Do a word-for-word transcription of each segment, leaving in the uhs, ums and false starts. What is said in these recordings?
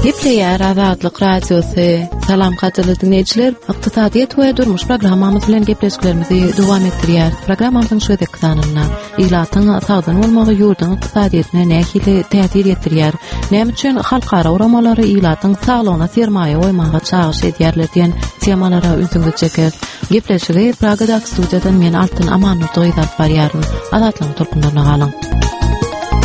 Gepleýär Azatlyk Radiosy. Salam gadyrly diňleýjiler. Ykdysadyýet we durmuş programmamyz bilen gepleşiklerimizi dowam etdirýär. Programmamyzyň şu gezekki sanynda ilatyň sagdyn bolmagy ýurduň ykdysadyýetine nähili täsir ýetirýär? Näme üçin halkara guramalary ilatyň saglygyna sermaýa goýmaga çagyryş edýärler diýen temalara ünsüňizi çekeris. Gepleşigi Pragadaky studiýadan men Altyn Amanurdy gyzy alyp barýaryn. Azatlygyň tolkunlaryna galyň.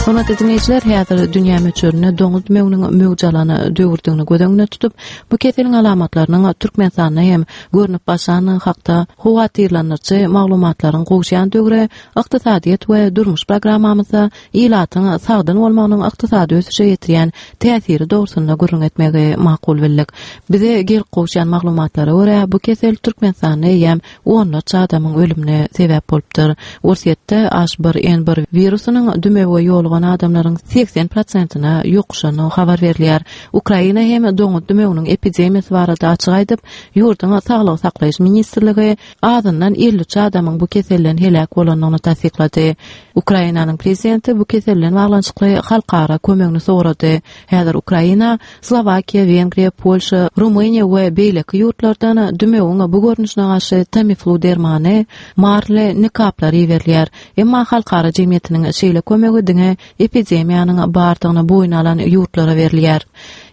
Hormatly diňleýjiler, häzir dünýä möçberinde doňuz dümewiniň möwç alan döwürdigini göz öňünde tutup, bu keseliň alamatlarynyň Türkmenistanda hem görnüp başlandygy hakda howatyrlandyryjy maglumatlaryň gowuşýan döwri ykdysadyýet we durmuş programmamyzda ilatyň sagdyn bolmagynyň ykdysady ösüşe ýetirýän täsiri dogrusynda gürrüň etmegi makul bildik. Bize gelip gowuşýan maglumatlara görä, bu kesel Türkmenistanda eýýäm onlarça adamyň ölümine sebäp bolupdyr. Orsýetde H bir N bir wirusynyň dümewe ýolugan adamlaryň segsen prosentine ýokuşandygy habar berilýär. Ukraina hem doňuz dümewiniň epidemiýasy barada açyk aýdyp, ýurduň saglygy saklaýyş ministrligi azyndan elli üç adamyň bu keselden heläk bolandygyny tassyklady. Ukrainanyň prezidenti bu kesel bilen baglanyşykly halkara kömegini sorady. Häzir Ukraina, Slowakiýa, Wengriýa, Polşa, Rumyniýa we beýleki ýurtlardan dümewiň bu görnüşine garşy Tamiflu dermany, marly nikaplar iberilýär. Emma halkara jemgyýetiniň şeýle kömegi diňe epidemiýanyň bardygyny boýun alan ýurtlara berilýär.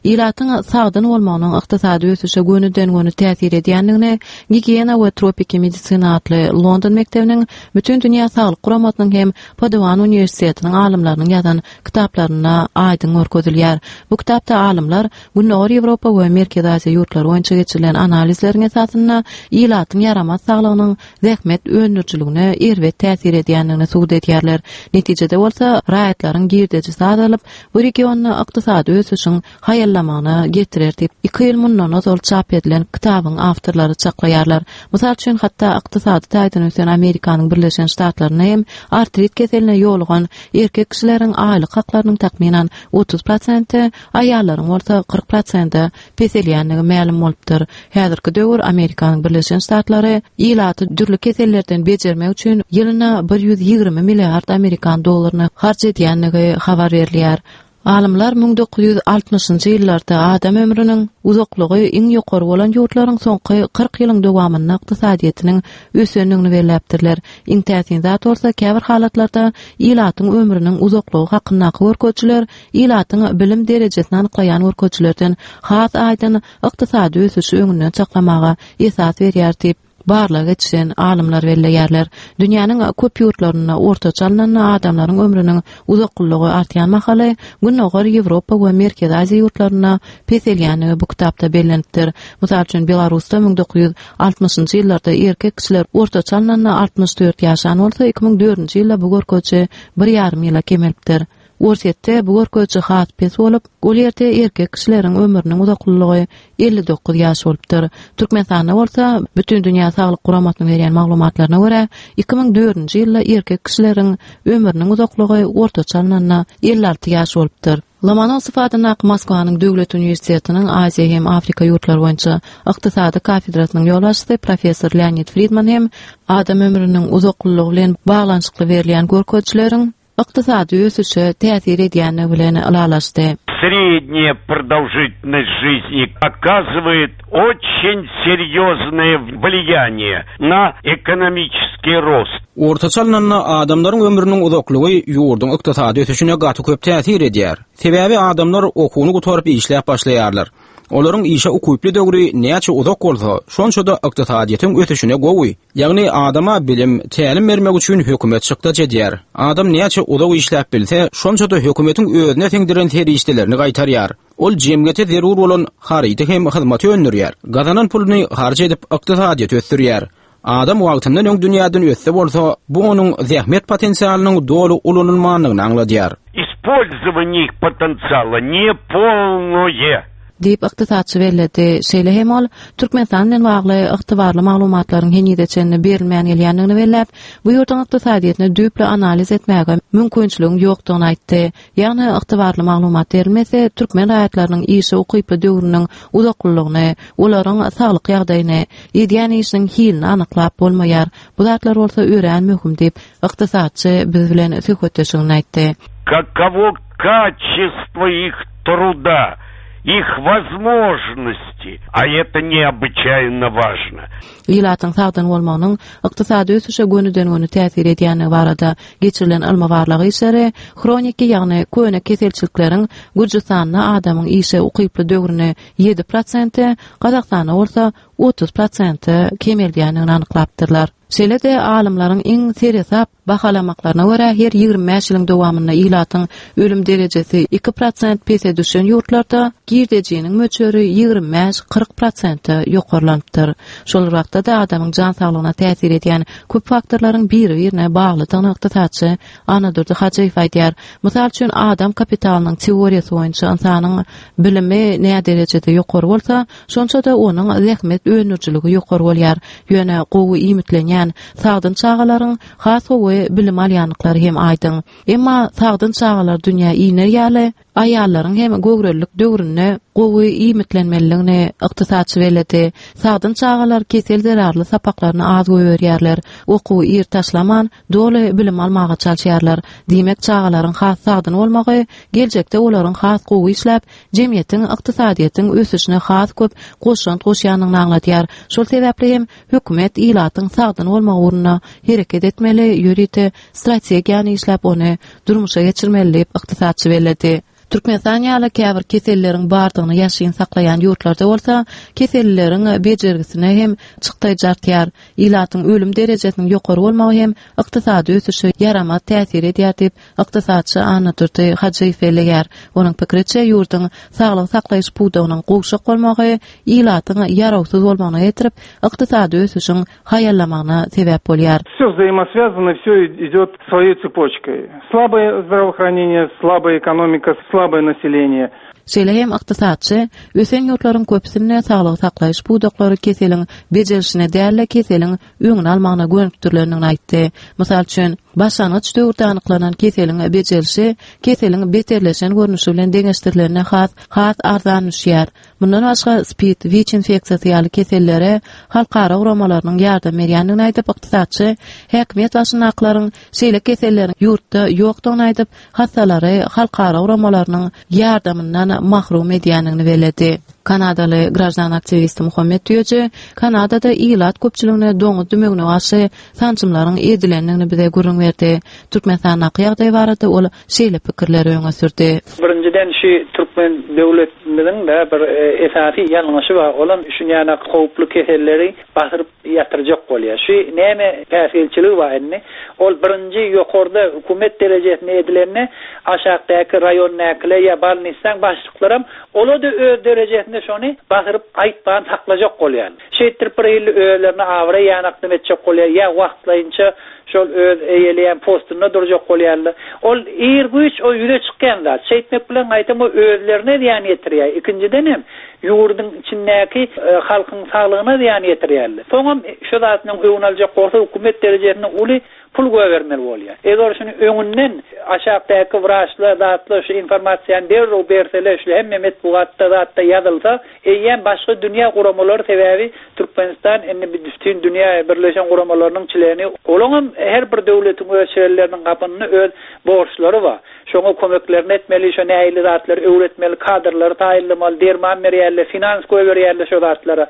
Ilatyň sagdyn bolmagynyň ykdysady ösüşe gönüden-göni täsir edýändigini Gigiýena we tropiki medisina atly London mekdebiniň Bütindünýä saglyk guramasynyň hem Paduan uniwersitetiniň alymlarynyň ýazan kitaplarynda aýdyň görkezilýär. Bu kitapda alymlar Gündogar Ýewropa we Merkezi Aziýa ýurtlary boýunça geçirilen analizleriň esasynda ilatyň ýaramaz saglygynyň zähmet öndürijiligine erbet täsir edýändigini subut edýärler. Netijede bolsa raýatlaryň girdejisi azalyp, bu regionda ykdysady ösüşiň haýallamagyna getirer diýip, iki ýyl mundan ozal çap edilen kitabyň awtorlary çaklaýarlar. Mysal üçin, hatda ykdysady taýdan ösen Amerikanyň Birleşen Ştatlarynda hem artrit keseline ýolugan erkek kişileriň aýlyk haklarynyň takmynan otuz prosente, aýallaryň bolsa kyrk prosente peselýändigi mälim bolupdyr. Häzirki döwür Amerikanyň Birleşen Ştatlary ilaty dürli kesellerden bejermek üçin ýylyna bir ýüz ýigrimi milliard amerikan dollaryny harç edýändigi habar berilýär. Alymlar müň dokuz ýüz altmyşynjy ýyllarda adam ömrüniň uzaklygy iň ýokary bolan ýurtlaryň soňky kyrk ýylyň dowamynda ykdysadyýetiniň ösendigini belläpdirler. Iň täsin zat bolsa, käbir halatlarda ilatyň ömrüniň uzaklygy hakyndaky görkezijiler ilatyň bilim derejesini anyklaýan görkezijilerden has aýdyň ykdysady ösüşi öňünden çaklamaga esas berýär diýip, barlag geçiren alymlar belleýärler. Dünýäniň köp ýurtlarynda ortaça alnanda adamlaryň ömrüniň uzaklygy artýan mahaly Gündogar Ýewropa we Merkezi Aziýa ýurtlarynda peselýändigi bu kitapda bellenipdir. Mysal üçin, Belarusda müň dokuz ýüz altmyşynjy ýyllarda erkek kişiler ortaça alnanda altmyş dört ýaşan bolsa, iki müň dördünji ýylda bu görkeziji bir ýarym ýyla kemelipdir. Orsýetde bu görkeziji has pes bolup, ol ýerde erkek kişileriň ömrüniň uzaklylygy elli dokuz ýaş bolupdyr. Türkmenistanda bolsa, Bütindünýä Saglyk Guramasynyň berýän maglumatlaryna görä, iki müň dördünji ýylda erkek kişileriň ömrüniň uzaklygy ortaça alnanda elli alty ýaş bolupdyr. Lomonosow adyndaky Moskwanyň Döwlet uniwersitetiniň Aziýa hem Afrika ýurtlary boýunça ykdysady kafedrasynyň ýolbaşçysy professor Leonid Fridman hem adam ömrüniň uzaklylygy bilen baglanyşykly berilýän görkezijileriň ykdysady ösüşe täsir edýändigi bilen ylalaşdy. Средняя продолжительность жизни оказывает очень серьезное влияние на экономический рост. Ortaça alnanda adamlaryň ömrüniň uzaklygy ýurduň ykdysady ösüşine gaty köp täsir edýär. Sebäbi adamlar okuwyny gutaryp işläp başlaýarlar. Olaryň işe ukyply döwri näçe uzak bolsa, şonça-da ykdysadyýetiň ösüşine gowy. Ýagny adama bilim, tälim bermek üçin hökümet çykdaç edýär. Adam näçe uzak işläp bilse, şonça-da hökümetiň özüne siňdiren serişdelerini gaýtarýar. Ol jemgyýete zerur bolan harydy hem hyzmaty öndürýär. Gazanan puluny harç edip ykdysadyýeti ösdürýär. Adam wagtyndan öň dünýäden ötse bolsa, bu onuň zähmet potensialynyň doly ulanylmandygyny aňladýar. Использование их potensiala не полное. Diýip ykdysatçy belledi. Şeýle hem ol Türkmenistan bilen bagly ygtybarly maglumatlaryň henize çenli berilmän gelýändigini belläp, bu ýurduň ykdysadyýetini düýpli analiz etmäge mümkinçiligiň ýokdugyny aýtdy. Ýagny ygtybarly maglumat berilmese, türkmen raýatlarynyň işe ukyply döwrüniň uzaklylygyny, olaryň saglyk ýagdaýyny, edýän işiniň hilini anyklap bolmaýar. Bu zatlar bolsa örän möhüm diýip, ykdysatçy biz bilen söhbetdeşligini aýtdy. Каково качество их труда, их возможности, а это необычайно важно. Ilatyň sagdyn bolmagynyň ykdysady ösüşe gönüden-göni täsir edýändigi barada geçirilen ylmy barlag işleri hroniki, ýagny köne keselçilikleriň Gürjüstanda adamyň işe ukyply döwrüni ýedi prosente, Gazagystanda bolsa otuz prosente kemeldýändigini anyklapdyrlar. Şeýle-de alymlaryň iň seresap bahalamaklaryna görä her ýigrimi bäş ýylyň dowamynda ilatyň ölüm derejesi iki prosent pese düşen ýurtlarda girdejiniň möçberi ýigrimi bäş kyrk prosente ýokarlanypdyr. Şol wagtda da adamyň jan saglygyna täsir edýän köp faktorlaryň biri-birine baglydygyny ykdysatçy Annadurdy Hajyýew aýdýar. Mysal üçin adam kapitalynyň teoriýasy boýunça ynsanyň bilimi nä derejede ýokary bolsa, şonça da onuň zähmet öndürijiligi ýokary bolýar. Ýöne gowy iýmitlenýän sagdyn çagalaryň has gowy bilim alýanlyklary hem aýdyň. Emma sagdyn çagalar dünýä iner ýaly aýallaryň hem göwrelilik döwründe gowy iýmitlenmeliligini ykdysatçy belledi. Sagdyn çagalar kesel zerarly sapaklaryny az goýberýärler. Okuwy ir taşlaman doly bilim almaga çalyşýarlar. Diýmek çagalaryň has sagdyn bolmagy geljekde olaryň has gowy işläp, jemgyýetiň ykdysadyýetiň ösüşine has köp goşant goşýanyny aňladýar. Şol sebäpli hem hökümet ilatyň sagdyn bolmagy ugrunda hereket etmeli, ýörite strategiýany işläp ony durmuşa geçirmeli diýip ykdysatçy belledi. Türkmenistan ýaly käbir keselleriň bardygyny ýaşaýyn saklaýan ýurtlarda bolsa keselleriň bejergisine hem çykdaýjy artýar. Ilatyň ölüm derejesiniň ýokary bolmagy hem ykdysady ösüşe ýaramaz täsir edýär diýip ykdysatçy Annadurdy Hajyýew belleýär. Onuň pikiriçe ýurduň saglyk saklaýyş pudagynyň gowşak bolmagy ilatyň ýarawsyz bolmagyna getirip, ykdysady ösüşiň haýallamagyna sebäp bolýar. Все взаимосвязано, все идет своей цепочкой. Слабое здравоохранение, слабая экономика, слабое население. Şeýle hem ykdysatçy ösen ýurtlaryň köpüsinde saglyk saklaýyş pudaklary keseliň bejerişine däl-de keseliň öňüni almagyna gönükdirilendigini aýtdy. Mysal üçin, başlangyç döwürde anyklanan keseliň bejerişi keseliň beterleşen görnüşi bilen deňeşdirilenine has, has arzan düşýär. Mundan başga SPID, WIÇ infeksiýasy ýaly kesellere halkara guramalarynyň ýardam berýändigini aýdyp, ykdysatçy häkimiýet başyndakylaryň şeýle keselleriň ýurtda ýokdugyny aýdyp, hassalary halkara guramalarynyň ýardamyndan mahrum edýändigini belledi. Kanadaly grajdan aktiwisti Muhammet Düýeji Kanadada ilat köpçüligine doňuz dümegine garşy sançymlaryň edilendigini bize gürrüň berdi. Türkmenistandaky ýagdaý barada ol şeýle pikirleri öňe sürdi. Birinjiden şu Türkmen döwletimiziň de bir, e, esasy ýalňyşy bar. Olam şunýana howply keselleri basyryp ýatyrjak bolýar. Şu näme päsgelçiligi bar indi? Ol birinji ýokarda hükümet derejesinde edilende aşakdaky raýondakylar ýa balnistan başlyklaram ola da öz derejesinde şony basyryp aýtman saklajak bolýar. Şeýtdirip bir ýyl özlerine awra ýanakny etjek bolýar, ýa wagtlaýynça şol öz eýeleýän postunda durjak bolýarlar. Ol ir güýç o ýüze çykýan zat. Şeýtmek bilen gaýtam o özlerine zyýan ýetirýär. Ikinjiden hem ýurduň içindäki, e, halkyň saglygyna zyýan ýetirýärler. Soňam şu zatyň öňüni aljak bolsa hükümet derejesinde uly pul goýbermeli bolýar. Eger şuny öňünden aşakdaky wraçlar zatlar şu informasiýany derrew berseler, şu hemme metbugatda zatda ýazylsa, eýýäm başga dünýä guramalary sebäbi Türkmenistan indi bütün dünýä birleşen guramalarynyň çileni, olaňam her bir döwletiň öz çileleriniň gapynda öz borçlary bar. Şoňa kömeklerini etmeli, şo nähili zatlary öwretmeli, kadrlary taýynlamaly, derman berýärler, finans goýberýärler şo zatlara.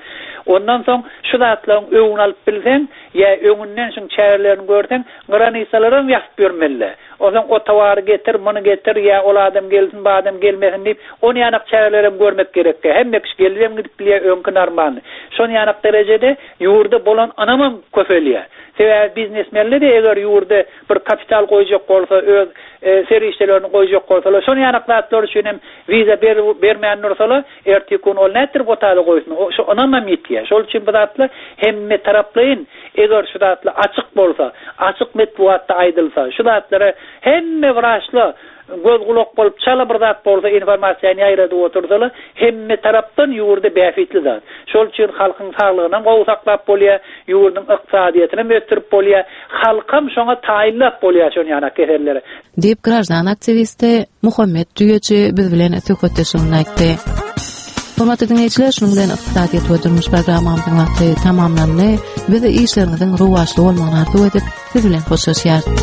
Ondan soň şu zatlaryň öňüni alyp bilseň, ýa öňünden şuň çärelerini görseň, granisalara ýazyp bermeli. Ondan o towary getir, muny getir, ýa ol adam gelsin, bu adam gelmesin diýip, ony ýanak çäreleri görmek gerek. Hemme kişi gelip gidip bilýär öňki normalny. Şony ýanak derejede ýurda bolan anamam köpelýär. Sebäbi biznesmenler de eger ýurda bir kapital goýjak bolsa, öz, e, serişdelerini goýjak bolsalar, şony ýanak zatlar üçin hem wiza ber-, bermän dursalar, erteki gün ol nätdir botaly goýsun. O, şu anamam ýetýär. Şol üçin bu zatlar hemme taraplaýyn eger şu zatlar açyk bolsa, açyk metbugatda aýdylsa, şu zatlara hemme wraçlar göz gulak bolup çala bir zat bolsa informasiýany ýaýradyp otursalar, hemme tarapdan ýurda bähbitli zat. Şol üçin halkyň saglygyny gowy saklap bolýar, ýurduň ykdysadyýetini ösdürip bolýar, halkam şoňa taýynlap bolýar şony ýanak kesellere. Diýip grajdan aktiwisti Muhammet Düýeji biz bilen söhbetdeşligini aýtdy. Hormatly dinleýjiler, şunuň bilen ykdysadyýet we durmuş programmamyzyň wagty tamamlandy. Biz işleriňiziň rowaçly bolmagyny arzuw edip, siz bilen hoşlaşýarys.